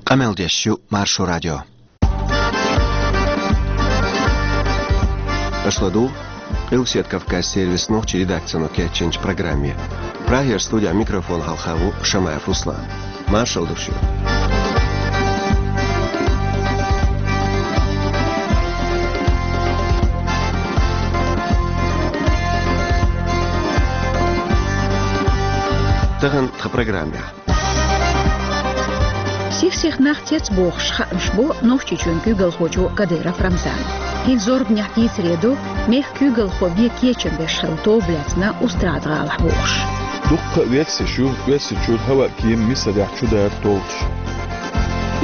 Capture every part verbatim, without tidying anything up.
Къамел деш ю Маршо радио. Аша ладугӀу Къилбаседа Кавказан сервисан нохчийн редакцино кечйинчу программе. Прагера студехь микрофон хьалха ву Шамаев Руслан. Маршалла ду шуьга. Тахана тхан программехь. Сих-сиха нах цецбохуш хаамаш бо Нохчийчоьнан куьйгалхочо Кадыров Рамзана. ХӀинца зорбанехь дийцаре ду, мехкан куьйгалхо вен кечам беш хилла тоба лаьцна Устрада-гӀалахь бохуш. Дуккха а оьрсаш ю, оьрсийн чуьра хӀаваъ кема Мисарехь чудара толлуш.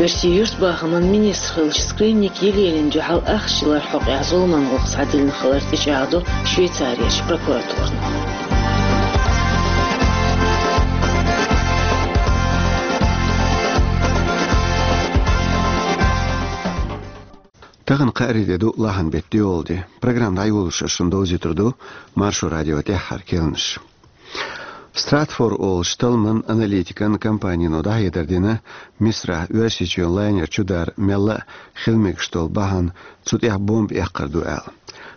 Оьрсийн юьртбахаман министр хиллачу Скрынник Елена дуьхьал ахча яларх хьокъехь зуламан гӀуллакх схьадиллина хилар тӀечӀагӀдо Швейцарерчу прокуратурано. Тахана кхаарин де ду, лахьан беттан доьалгӀа де. Программа дӀайолош ас шуна довзуьйтур ду Маршо радион тӀаьххьара керланаш. Стратфор олучу талламан аналитикан компанино дӀахьедар дина, Мисарахь Оьрсийчоьнан лайнер чудар мелла а хила мегаш долу бахьана цу тӀехь бомба эккхар ду аьлла.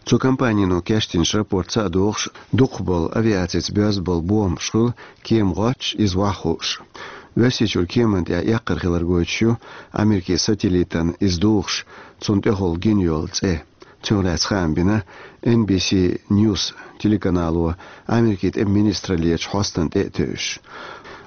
Цу компанино кечдинчу рапортаца а догӀуш, дукхахболу авиацица боьзна болу бомбаш хуьлу кема гӀоттуш, иза охьахууш. Оьрсийчуьра кеманна тӀехь эккхар хилар гойтуш ю Америкин сателлитана иза духуш, цунна тӀехула гина йолу цӀе. Цунах лаьцна хаам бина Эн Би Си Ньюс телеканало Америкин тӀеман министраллерчу хьостана тӀе а тевжаш.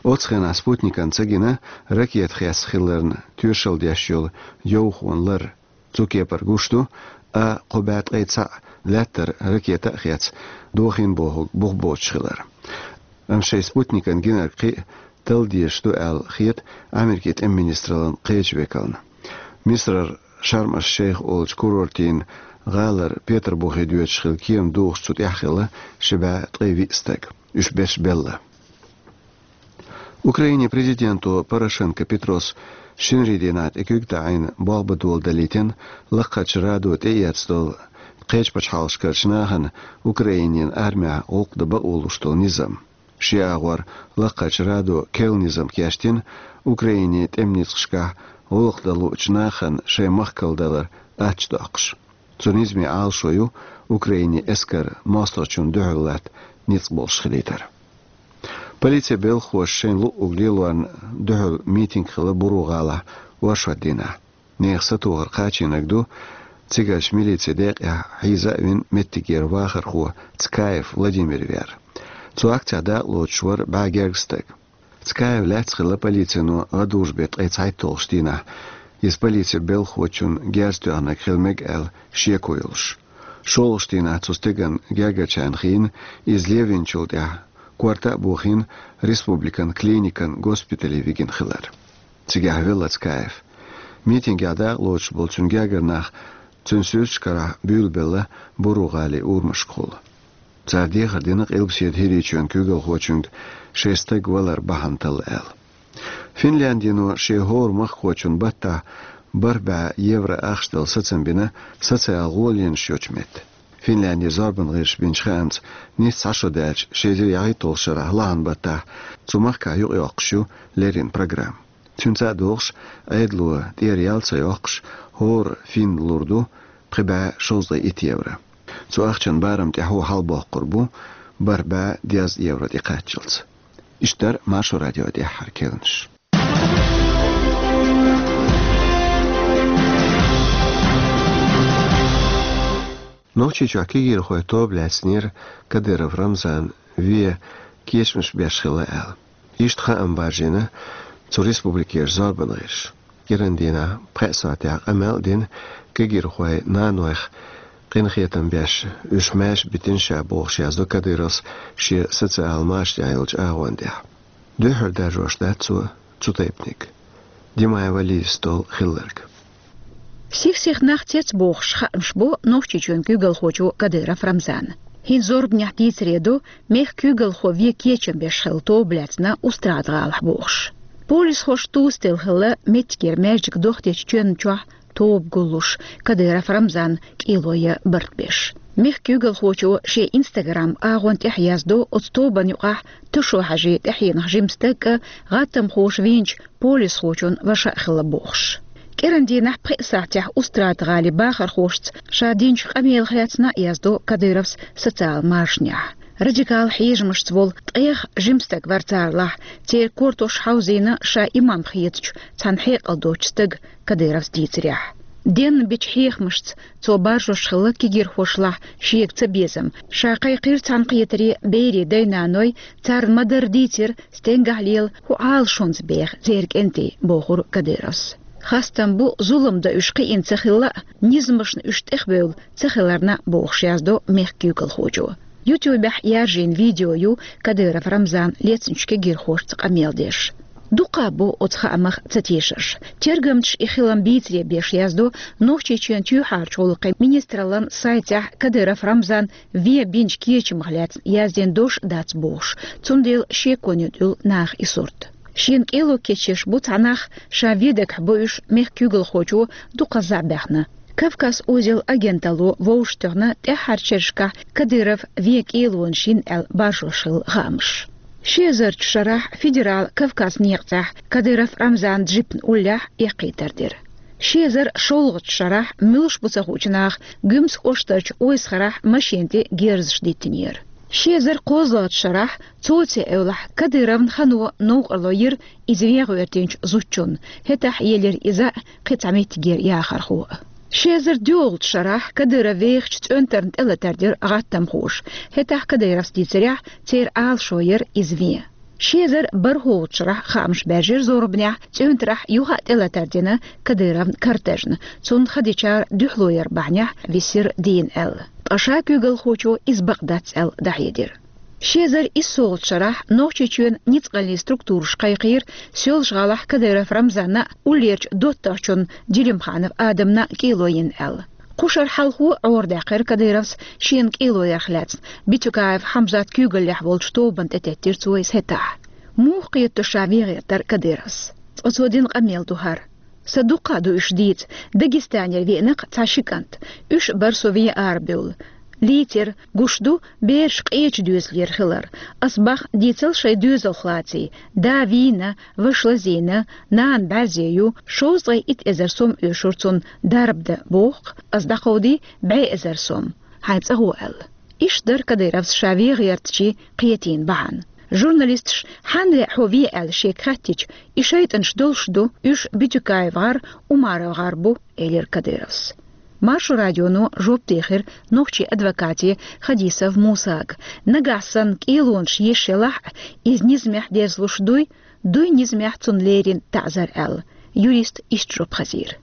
Оцу хенахь спутникана ца гина ракета хесна хиларна тоьшалла деш йолу йовхонан лар. Цу кепара гуш ду а кхо бӀе ткъе цхьаъ лаьттара ракета а хецна, дохийна бохург бух боцуш хилар. Амма шайн спутникана гинарг кхин а талла дезаш ду аьлла хета Америкин тӀеман министраллан кхечу векална. Мисарара Шарм-аш-Шейх олучу курортийн гӀалара Петарбухе доьдуш хилла кема духуш цу тӀехь хилла ши бӀе ткъе виъ стаг. Уьш берш белла. Украинин президенто Порошенко Петрос шинарин дийнахь тӀе куьг таӀийна болх бан дола далийтина Лакхарчу радо тӀеэцна долу кхечу пачхьалкхашкарчу нахана Украинин армехь гӀуллакх дан бакъо луш долу низам. Шен агӀор Лакхарчу радо керла низам кечдина Украинин тӀеман ницкъашкахь гӀуллакх дан луучу нахана шайн махкал далар аттачу доккхуш. Цу низаман Ӏалашо ю Украинин эскар мостагӀчунна дуьхьал латта ницкъ болуш хилийтар. Полицин белхахоша шайна луъург лелорна дуьхьал митинг хилла Буру-гӀалахь оршот дийнахь. Нехан сатохар кхачийнарг ду цигарчу милицин декъехь хьийза а вина меттигера вахархо Цкаев Владимир вер. Цу акцехь дакъалоцуш вара бӀе гергга стаг. Цкаев лаьцна хилла полицино гӀадужу беттан ткъе цхьайтталгӀачу дийнахь. Иза полицин белхахочунна герз тоьхнарг хила мега аьлла шеко йолуш. ШолгӀачу дийнахь цу стеган гергарчарна хиъна, иза левинчул тӀаьхьа корта а бохийна, республикан клиникан госпитале вигина хилар. Цигахь велла Цкаев. Митингехь дакъалоцуш болу цуьнан гергара нах цуьнан суьрташ карахь буьйлабелла Буру-гӀалин урамашкахула. Цара дехар дина Къилбаседа ХӀирийчоьнан куьйгалхочуьнга шайн стаг валар бахьана талла аьлла. Финляндино шен хӀора махкахочунна баттахь бархӀ бӀе евро ахча дала сацам бина социал гӀоланаш йолчу метта. Финляндин зорбанан гӀирсаша бинчу хаамца, нийсса цхьа шо даьлча, ши эзар ялхитталгӀачу шарахь лахьан баттахь цу махкахь юкъайоккхуш ю леррина программа. Цуьнца а догӀуш, Ӏедало тӀера ял ца йоккхуш, хӀора финна лур ду пхи бӀе шовзткъе итт евро. Цу ахчан барам тӀаьхьо хьалабоккхур бу бархӀ бӀе дезткъа евро тӀекхаччалц. Иштта дара Маршо радион тӀаьххьара керланаш. Нохчийчохь кегийрхойн тоба лаьцнера Кадыров Рамзана вен кечамаш беш хилла аьлла. Иштта хаам баржийна цу республикера зорбанан гӀирсаша. КӀиран дийнахь пхеа сахьтехь къамел а дина кегийрхойн нанойх къинхетам беш, уьш маьрша битина ша бохуш яздо Кадыровс шен социал машанехь йолчу агӀон тӀехь. Дуьххьара даржош дац цо цу тайпаниг. Димаева Лизас долу хилларг. Сих-сиха нах цецбохуш хаамаш бо Нохчийчоьнан куьйгалхочо Кадыров Рамзана. ХӀинца зорбанехь дийцаре ду, мехкан куьйгалхо вен кечам беш хилла тоба лаьцна Устрада-гӀалахь бохуш. Полисхоша тосаделла хилла меттигера маьждиг дохдечу чоьнна чохь тоба гуллуш, Кадыров Рамзанна кӀело ян барт беш. Мехка куьйгалхочо шен Instagram агӀон тӀехь яздо оцу тобанна юкъахь Тушо-Хьаьжин тӀаьхьенах жима стаг а, гӀаттамхоша вийначу полисхочун ваша а хилла бохуш. КӀиран дийнахь пхеа сахьтехь Устрада-ГӀалин бахархошца ша динчу къамелах лаьцна а яздо Кадыровс социал машанехь. Радикал хьежамашца волу ткъех жима стаг вара царалахь, церан кортош хьовзийна ша имам хетачу цхьана хьекъал доцучу стага, Кадыровс дийцарехь. Денна бичу хьехамашца цо баржош хилла кегийрхошлахь шега цабезам. Ша кхайкхира цхьаьнакхетаре берийн дай-наной, царна ма-дарра дийцира, стенгахь лела хӀун Ӏалашонца беха церан кӀентий, бохура Кадыровс. Хастам бу, зулам дан уьш кхиъна ца хилла а, низамашна уьш тӀехбевлла ца хиларна а, бохуш яздо мехка куьйгалхочо. Ютубехь яржийна видео ю Кадыров Рамзана лецначу кегийрхошца къамел деш. Дукха бу оцу хаамах ца тешарш. Тергамчаша и хилам бийцаре беш яздо Нохчийчоьнан чоьхьарчу гӀуллакхийн министраллан сайтехь Кадыров Рамзана вен бинчу кечамах лаьцна яздина дош а дац бохуш, цундела шеконе дуьллу наха и сурт. Шена кӀело кечъеш бу цхьа нах, ша вен дагахь бу уьш мехка куьйгалхочо дукха зӀе баьхна. Кавказ узел агенталло вовшахтоьхна тӀаьххьарчу шерашкахь Кадыров вен кӀелонаш йина аьлла баржош хилла хаамаш. Ши эзарчу шарахь федерал Кавказ некъа цӀахь Кадыров Рамзанан джипна уллехь эккхийтар дира. Ши эзар шолгӀачу шарахь муьлш бу ца хуучу наха Гуьмсан кӀоштарчу Ойсхарахь машина тӀе герзаш диттинера. Ши эзар кхозлагӀчу шарахь, цо цӀе эвлахь, Кадыровн хано новкъарло йира иза вен гӀоьртинчу зудчунна, хӀетахь елира иза а, кхин цхьа меттигера яхархо а. Ши эзар доьалгӀачу шарахь Кадыров вехачу цӀоьнтарна тӀелатар дира гӀаттамхоша, хӀетахь Кадыровс дийцарехь, церан Ӏалашо яра иза вен. Ши эзар бархӀолгӀачу шарахь хаамаш баьржира зорбанехь, цӀоьнтарахь юха а тӀелатар дина Кадыровн кортежна, цунна ха дечара дуьхьало яр бахьанехь висира дийна аьлла. Ткъа ша куьйгалхочо иза бакъ дац аьлла дӀахьедира. Ши эзар иссолгӀачу шарахь Нохчийчоьнан ницкъаллин структураша кхайкхийра Соьлжа-ГӀалахь Кадыров Рамзанна а, уллерчу доттагӀчунна Делимханов Адамна а кӀело йина аьлла. Кху шарахь хьалхо а Ӏорадаьккхира Кадыровс шена кӀело ярх лаьцна, Битюкаев Хьамзат куьйгаллехь волчу тобанна тӀететтира цо иза хӀетахь. Муха кхетадо ша вен гӀертар Кадыровс? Ткъа цо дина къамел ду хӀара. Сан дуккха а ду уьш дийца, Дагестанера веана-кх цхьа ши кӀант. Уьш а бара со вен арабевлла. Лийцира, гуш ду, бераш къечу доьзалера хилар. Ас бах дийцал шайн доьзалх лаций, да вийна, ваша лазийна, нана бӀаьрзе ю, шовзткъе итт эзар сом оьшура цунна дарба дан, боху-кх, ас дӀакховдий бӀе эзар сом, хьайн цӀа гӀо аьлла. Иштта дара Кадыровс ша вен гӀертачийн кхетийна бахьана. Журналисташа, хьанна лаьа хьо вен аьлла, шега хаьттича, и шайтӀанаш долуш ду, уьш Битюкаев гӀар, Умаров гӀар бу, элира Кадыровс. Маршо радионо жоп дийхира нохчийн адвокате Хадисов Мусага. Нагахь санна кӀелонаш еш елахь а, иза низамехь дерзалуш дуй, дуй низамехь цунна лерина таӀзар аьлла. Юриста иштта жоп хазийра.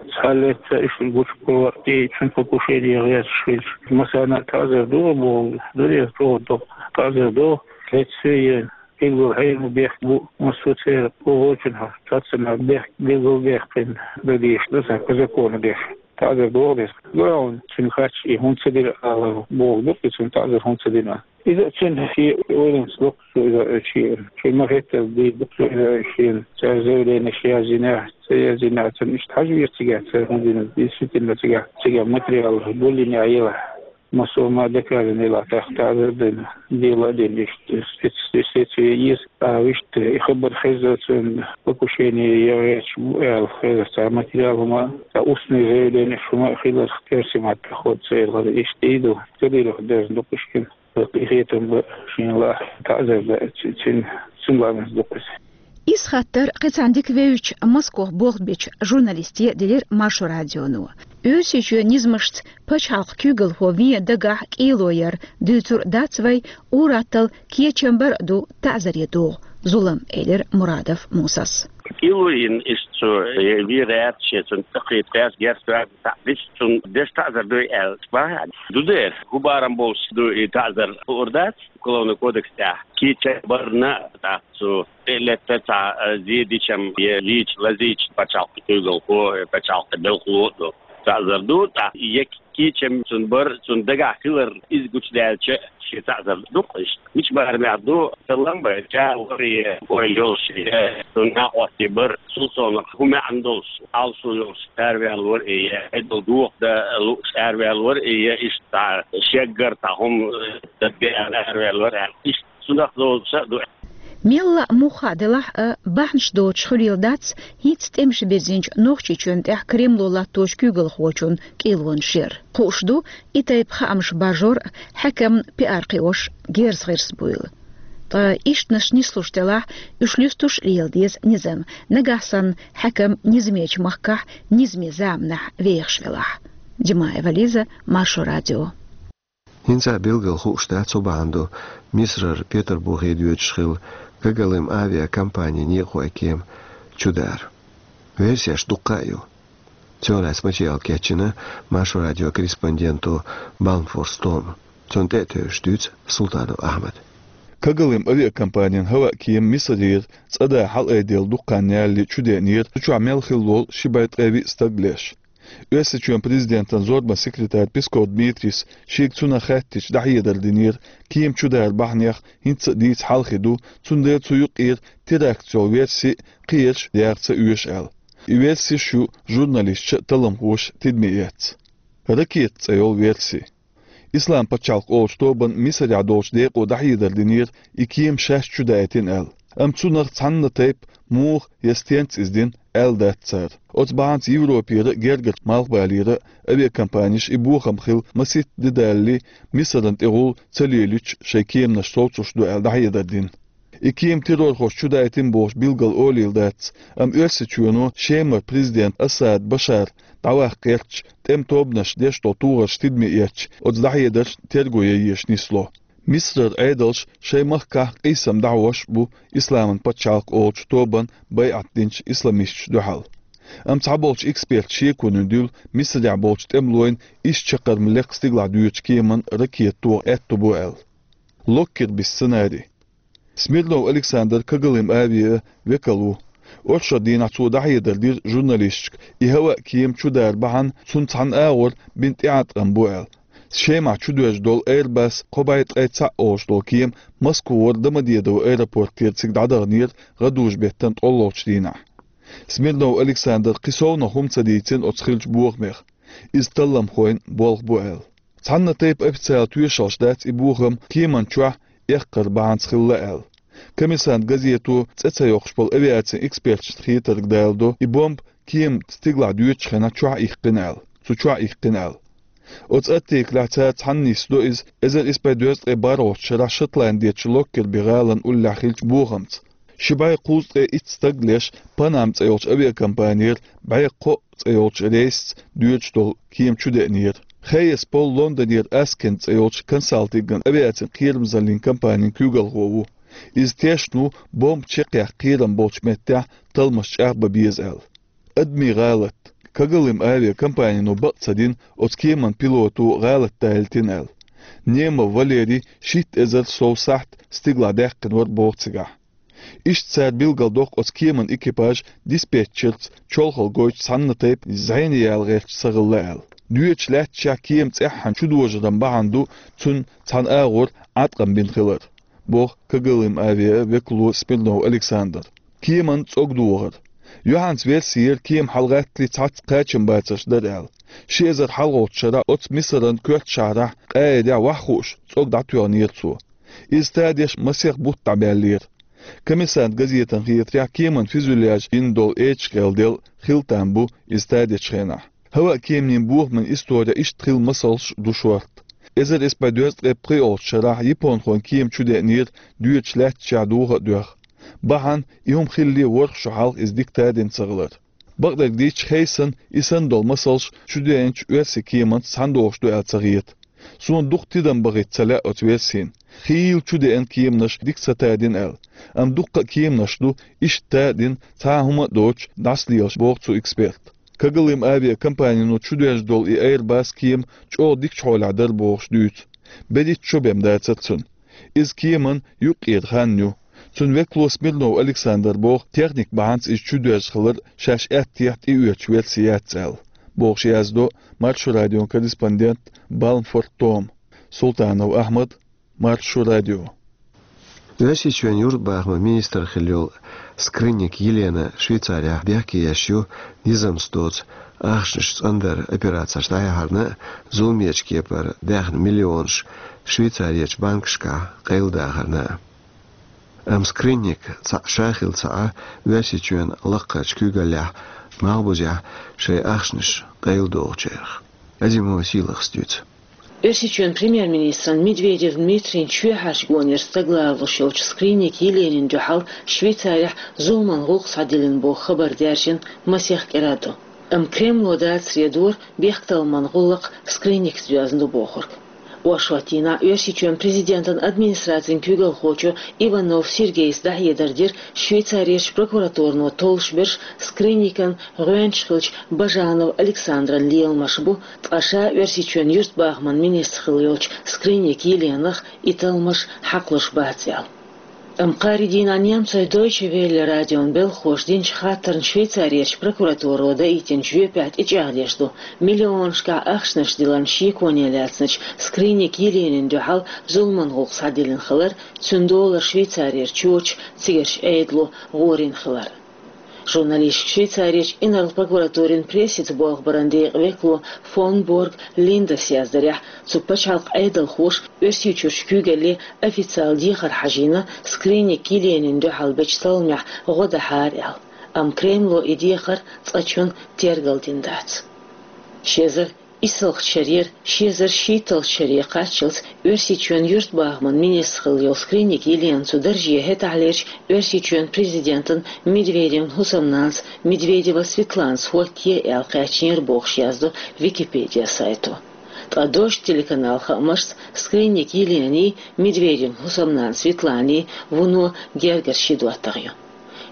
Цхьа лаьцна уьш гучу кхо тӀе цуьнан покушение гӀерташ хилча, массарна а таӀзар догӀу боху, дуьненан чӀогӀа доккха таӀзар догӀу, лаьцна я билггал хьенан бехк бу, массо а церан вочунах цаццанах бехк билггал бехкина дан дезаш ду сан по закону деш. ТаӀзар догӀу деза. Главное, цуьнан хаьттича, и хӀунда ца дира ала бохург ду-кх, и цунна таӀзар хӀунда ца дина. Иза а цуьнан шен ойланца ду-кх цо иза, шен, шен ма-хеттара дийр ду-кх цо иза шена. Цара заявленеш язйинехь, ца язйинехь, царна иштта хьажа веза цигахь, цара хӀунда дина, действительно цигахь, цигахь материал гулйинехь елахь. Массо а ма доказано елахь, тӀаккха таӀзар а дина, дело а дина, иштта спецследствие еза, а, вуьшта и хабар хезна цуьнан покушение ян гӀерташ бу аьлла, хезар цхьа материал хӀума, цхьа устный заявленеш хӀума а хиларх, оьрсийн маттахь хӀотту церан гӀара, иштта и ду, Кадыровх дерзна ду-кх уьш шена. Къинхетам бан шена лаахь, таӀзар дан ци-, цуьнан, цуьнан ламаз ду-кх иза. Иза хаттар кхин цхьана дика вевзачу, Москох болх бечу журналисте делира Маршо радионо. Оьрсийчоьнан низамашца пачхьалкхан куьйгалхо вен дагахь кӀело яр дуьйцур дац вай, ур-атталла кечам бар а ду, таӀзаре догӀу зулам, элира Мурадов Мусас. КӀело йина иштта цо, вен гӀерта шен цунна тӀекхетта кхаьчча, герз тоьхна, цхьаъ дича цунна деш таӀзар дуй аьлла бахьана. Ду дера, хӀун барам болуш ду и таӀзар, хуур дац, Уголовный кодекс тӀехь кечам барна, тӀаккха цо тӀе а летта цхьа, а, зен дича-м, я лийча, лазийча пачхьалкхан куьйгалхо, я пачхьалкхан белхало а ду. Цхьа эзар ду, тӀаккха е кечам цун бар, цун дагахь хилар, иза гучудаьлча, ши цхьа эзар ду-кх иштта. Мича барамехь ду, таллам бай, чӀагӀ вар е, ойла йолуш е, цун накъостий бар, цул совнаха хӀун маьӀна долуш, алсо йолуш араваьлла вар е, е, хьедал дохадан лууш араваьлла вар е, е, иштта шеггара цхьа хӀума, э, дан бен араваьлла вар аьлла. Иштта цунах доцуш а ду. Мелла а муха а делахь а, бахьанаш доцуш хуьлийла дац хӀинца тӀемаш бирзинчу Нохчийчоьнна тӀехь Кремло латточу куьйгалхочун кӀелонаш яр. Хууш ду, и тайпа хаамаш баржор а, хьаькамна пиар кхиош герз гӀирс буйла. Ткъа ишттанаш нислуш делахь, уьш луьстуш а лела деза низам, нагахь санна хьаькам низамечу махкахь низаме заманахь вехаш велахь. Димаева Лиза, Маршо радио. ХӀинца а билггал хууш дац, хӀун бахьана ду Мисарара Петарбухе доьдуш хилла Когалым авиакомпанин некъахойн кема чудар. Версеш дуккха а ю. Цунах лаьцна материал кечйина Маршо радион корреспонденто Балмфорс Тома. Цунна тӀе а тевжаш дуьйцу Султанов Ахьмада. Когалым авиакомпанин хӀаваъ кема Мисарера цӀа да хьалаайделла дукха хан ялале чудеанера, цу чохь мел хилла волу ши бӀе ткъе виъ стаг леш. Оьрсийчоьнан президентан зорбан секретарь Песков Дмитрийс шега цунах хаьттича дӀахьедар динера, кема чудара бахьанех хӀинца а дийца хьалхе ду, цундела цу юкъера теракт йолу верси а, кхиерш а яха ца оьшу аьлла. И версиш ю журналисташа а, талламхоша а тидаме эцна. Ракета цӀе йолу верси. Ислам пачхьалкх олучу тобанна Мисарехь долчу декъо дӀахьедар динера, и кема шаьш чудаийтина аьлла. Амма цунах цхьанна тайпа муха я стенца иза дина аьлла дац цара. Оцу бахьанца Европера а, гергара малхбалера а авиакомпанеш и бохам хилла масийтта де далале Мисарна тӀе гӀуллакх ца лелийча шайн кеманаш совцуш ду аьлла дӀахьедар дина. И кема террорхоша чудаийтина бохуш билггал олийла дац, амма Оьрсийчоьно Шемара президент Асад Башар дӀаваккха гӀерташ, тӀеман тобанаша деш долу тохарш тидаме эцча, оцу дӀахьедаршна терго ян езаш нисло. Мисарара Ӏедалш шайн махкахь къийсам дӀахьош а бу Исламан пачхьалкх олучу тобанна байӀат динчу исламисташна дуьхьал. Амма цхьаболчу эксперташа шеконе дуьллу, Мисарехь болчу тӀемалойн исс чаккхарма лекха стигалахь доьдучу кеманна ракета тоха аьтто бу аьлла. Локкерби сценарий. Смирнов Александр Когалым авиан векал ву. Оршот дийнахь цо дӀахьедар дира журналисташка, и хӀаваъ кема чудара бахьана цунна цхьана агӀор бина тӀеӀаткъам бу аьлла. Шемахь чудоьжна долу Airbus кхо бӀе ткъе цхьаъ олуш долу кема Москвара Домодедово аэропортера цига дӀадаханера гӀадужу-беттан ткъолгӀачу дийнахь. Смирнов Александра кхин совнаха хӀума ца дийцина оцу хиллачу бохамех. Иза талламхойн болх бу аьлла. Цхьанна тайпа официалан тоьшаллаш дац и бохам кеман чохь эккхар бахьанца хилла аьлла. Коммерсант газето цӀе ца йоккхуш болу авиацин эксперташна хетарг даладо, и бомба кеман стигалахь доьдучу хенахь чохь иккхина аьлла. Цу чохь иккхина аьлла. Оцу артиклехь цара цхьаьна нисдо иза эзар исс бӀе дезткъе бархӀалгӀачу шарахь Шотландерчу Локкерби гӀалин уллехь хиллачу бохамца. Ши бӀе кхузткъе итт стаг леш Панам цӀе йолчу авиакомпанера бӀе кхоъ цӀе йолчу рейсаца доьдуш долу кема чудеанера. Хейес Пол Лондонера Аскин цӀе йолчу консалтинган авиацин кхерамзаллин компанин куьйгалхо ву. Иза тешна ву бомба чекхъяккха кхерам болчу меттехь талламаш чӀагӀбан беза аьлла. Адамийн гӀалат. Когалым авиакомпанино бакъ ца дина оцу кеман пилото гӀалат далийтина аьлла. Немов Валерий шийтта эзар сов сахьт стигалахь даьккхина вара боху цигахь. Иштта цара билгалдоккху оцу кеман экипаж диспетчерца чолхалла гойтуш цхьанна тайпа зӀене яла гӀерташ ца хилла аьлла. Доьдучу лаьтташехь кема цӀеххьана чудожаран бахьана ду цунна цхьана агӀор Ӏаткъам бина хилар, боху Когалым авиан векало Смирнов Александра. Кеман цӀогдохар. Юьхьанца версера кема хьалагӀаттале цхьацца кхачамбацарш дара аьлла. Ши эзар хьалхалгӀачу шарахь оцу Мисаран коьртачу шахьарахь Къаидехь ваха хууш цӀог дӀатоьхнера цо. Иза тадеш масех бутт дӀабаьллера. Коммерсант газетана хетарехь, кеман фюзеляж йина долу эчкъел делла хила там бу иза тадечу хенахь. ХӀаваъ кеманийн бохаман истори иштта хилла масалш ду шорта. Эзар исс бӀе дезткъе пхиъолгӀачу шарахь японхойн кема чудеанера доьдучу лаьтташехь доха а доьхна. Бахьана и хӀума хиллале ворхӀ шо хьалха иза дика тадина ца хилар. Бакъдерг дийцча, хӀейсан и санна долу масалш чудеанчу оьрсийн кеманца цхьаьна догӀуш ду аьлла ца хета. Суна дукха тидам бахийта ца лаьа оцу версина. Хийла чудеана кеманаш дика ца тадина аьлла. Амма дуккха а кеманаш ду, иштта тадина, цхьа а хӀума а доцуш, дӀасалелаш, боху цу эксперта. Когалым авиакомпанино чудоьжна долу и Airbus кема чӀогӀа дикачу хьолехь дара бохуш дуьйцу. БерхӀитта шо бен дацара цунна. Иза кеман юккъера хан ю. Цуьнан векало Смирнов Александр боху, техника бахьанца иза чудоьжна хилар шаьш аьттехьа тӀеоьцучу верси яц аьлла. бохуш яздо Маршо радион корреспондент Балмфорд Том. Султанов Ахьмад, Маршо радио. Оьрсийчоьнан юртбахаман министр хилла йолу Скрынник Елена Швейцарехь бехке еш ю, низамца доцу ахчанаш цӀандаран операцеш дӀаяхьарна а, зуламечу кепара даьхна миллионаш Швейцарерчу банкашкахь къайладахарна а. Амма Скрынник цхьаъ ша хилла ца Ӏа, Оьрсийчоьнан лакхарчу куьйгаллехь, малхбузехь шайн ахчанаш къайладохучарах. Азимова Сийлахас дуьйцу. Оьрсийчоьнан премьер-министран Медведев Дмитрийн чоьхьарчу гонера стаг лоруш йолчу Скрынник Еленин дуьхьал Швейцарехь зуламан гӀуллакх схьадиллина боху хабар даьржина масех кӀира ду. Амма Кремло дацаре дора бехктакхаман гӀуллакх Скрынникца доьзна ду бохург. Оршот дийнахь Оьрсийчоьнан президентан администрацин куьйгалхочо Иванов Сергейс дӀахьедар дира Швейцарерчу прокуратуро толлуш берш Скрынникан гӀоьнча хиллачу Бажанов Александран леламаш бу, ткъа ша Оьрсийчоьнан юьртбахаман министр хилла йолчу Скрынник Еленах и талламаш хьакхалуш бац аьлла. Амма кхаарин дийнахь немцойн Дойче Велле радион белхахоша динчу хаттарна Швейцарерчу прокуратуро даийтинчу жоьпехь тӀечӀагӀдеш ду миллионашкахь ахчанаш дилларан шеконе лаьцначу Скрынник Еленин дуьхьал зуламан гӀуллакх схьадиллина хилар, цуьнан долара Швейцарера чоташ, цигарчу Ӏедало гӀорийна хилар. Журналисташка Швейцарерчу инарла прокуратурин прессица болх баран декъан векало фон Борг Линдас яздарехь, цу пачхьалкхан Ӏедалхоша Оьрсийчуьрчу куьйгалле официалан дехар хьажийна Скрынник Еленин дуьхьал бечу талламехь гӀо дахьара аьлла. Амма Кремло и дехар цкъачунна тергалдина дац. Ши эзар иссалгӀачу шарера ши эзар шийтталгӀачу шаре кхаччалц Оьрсийчоьнан юьртбахаман министр хилла йолу Скрынник Елена цу дарже хӀетахьлерчу Оьрсийчоьнан президентан Медведевн хӀусамнанас Медведева Светланас хӀоттае аьлла кхаьчнера бохуш яздо Википедия сайто. Ткъа Дождь телеканал хаамашца Скрынник Елений, Медведевн хӀусамнана Светланий вуно гергара ши доттагӀа ю.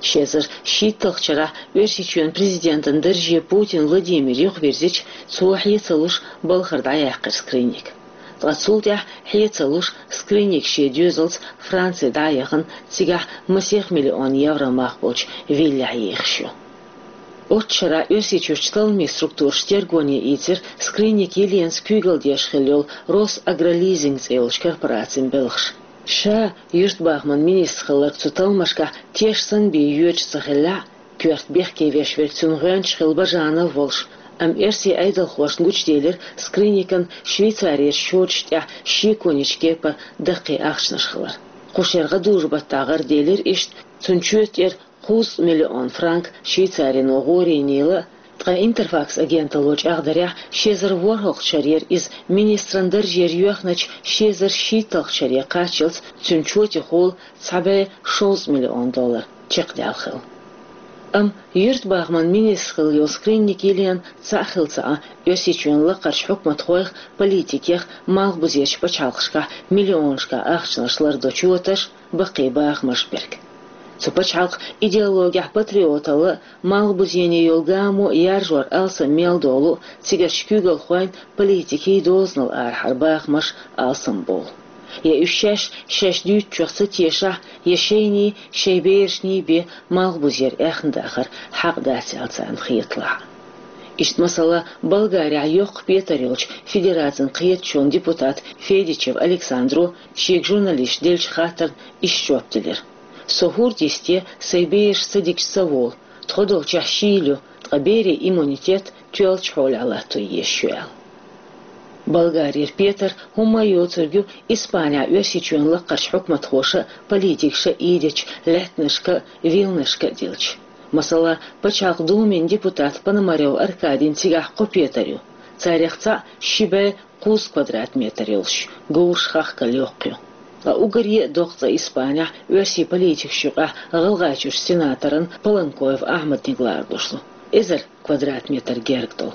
Ши эзар шийтталгӀачу шарахь Оьрсийчоьнан президентан дарже Путин Владимир юхавирзича, цо хье ца луш балхара дӀаяьккхира Скрынник. Ткъа цул тӀаьхьа хье ца луш Скрынник шен доьзалца Франци дӀа а яхана, цигахь масех миллион евро мах болчу виллехь ехаш ю. Оццу шарахь Оьрсийчуьрчу талламийн структураша тергоне ийцира Скрынник Еленас куьйгалла деш хилла йолу Росагролизинг цӀе йолчу корпорацин белхаш. Ша юьртбахаман министр хилларг цу талламашкахь теш санна бен йоьдуш ца хиллехь а, коьрта бехке веш верг цуьнан гӀоьнча хилла Бажанов волуш, амма оьрсийн Ӏедалхошна гучуделира Скрынникан Швейцарерчу чоташ тӀехь шеконечу кепара даккхий ахчанаш хилар. Кху шеран гӀадужу-баттахь гӀараделира иштта цуьнан чоьта тӀера кхузткъа миллион франк Швейцарино гӀорийнийла а, ткъа Интерфакс агенталло чӀагӀдарехь, ши эзар ворхӀалгӀачу шарера иза министран даржера йоьхначу ши эзар шийтталгӀачу шаре кхаччалц цуьнан чотехула цхьа бӀе шовзткъа миллион доллар чекхдаьлла хилла. Амма юьртбахаман министр хилла йолу Скрынник Елена цхьаъ хилла ца Ӏа, Оьрсийчоьнан лакхарчу хьукматхойх, политикех малхбузерчу пачхьалкхашкахь миллионашкахь ахчанаш лардо чоташ, баккхий бахамаш берг. Цу пачхьалкхан идеологехь патриоталла а, малхбузене йолу гамо а яржор алсам мел долу а, цигарчу куьйгалхойн, политикийн дозанал арахьара бахамаш алсамбовлу. Я уьш шаьш шаьш дуьйцучух ца тешахь, я шайний, шайн берашний бен малхбузера аьхна дахар хьакъ дац аьлла царна хеталахь а. Иштта, масала, Болгарехь йоккха петар йолчу федерацин кхеташонан депутат Федичев Александро шега журналисташа деллачу хаттарна иштта жоп делира: «Со хӀорда йисте сайн бераш ца дигча ца волу, тхо долчохь шийла ю, ткъа берийн иммунитет тоьллачу хьолехь латто езаш ю», — аьлла. Болгарера петар хӀумма а йоцург ю Испанехь Оьрсийчоьнан лакхарчу хьукматхоша а, политикаша а ийдечу лаьттанашка а, вилнашка а дилча. Масала, Пачхьалкхан Думин депутат Пономарёв Аркадийн цигахь кхо петар ю. Царех цхьаъ ши бӀе кхузткъа квадрат метр йолуш, говраш хахкалла йоккха ю. Ткъа уггаре а доккха цӀа Испанехь оьрсийн политикашна юкъахь ГӀалгӀайчуьрчу сенаторан Паланкоев Ахьмадан лардуш ду, эзар квадрат метр герга долу.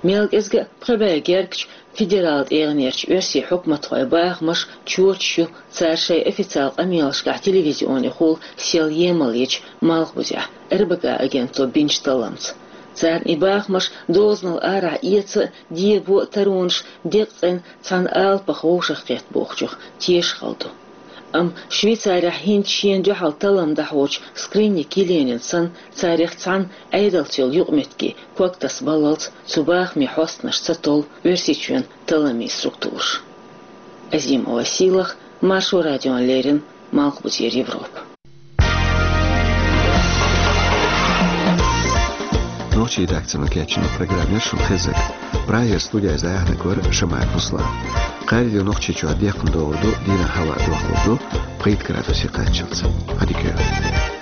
Мел кӀезга а пхи бӀе гергачу федералан тӀегӀанерчу оьрсийн хьукматхойн бахамаш, чоташ ю цара шайн официалан къамелашкахь телевизионехула сел емал ечу Малхбузехь, РБК агенталло бинчу талламца. Царна и бахамаш дозанал арахь эца а, дебо а таронаш декъацӀенна цхьана алапах вовшахкхетта бохучух тешахалла ду. Амма Швейцарехь хӀинца шена дуьхьал таллам дӀахьочу Скринник Еленин санна, царех цхьанна Ӏедалца йолу юкъаметтиге ког таса баллалц цу бахаме хьостанаш ца толлу Оьрсийчоьнан талламийн структураш. Азимова Сийлаха, Маршо радиона леррина, Малхбузера Европа. Нохчийн редакцино кечйина программа яра шуна хезнарг. Прагера студехь яьхьнарг вара Шамаев Руслан. Кхаарин дийнахь Нохчийчохь декхна догӀур ду, дийнахь хӀаваъ дохлур ду, пхийтта градусе кхаччалц. Ӏадика йойла.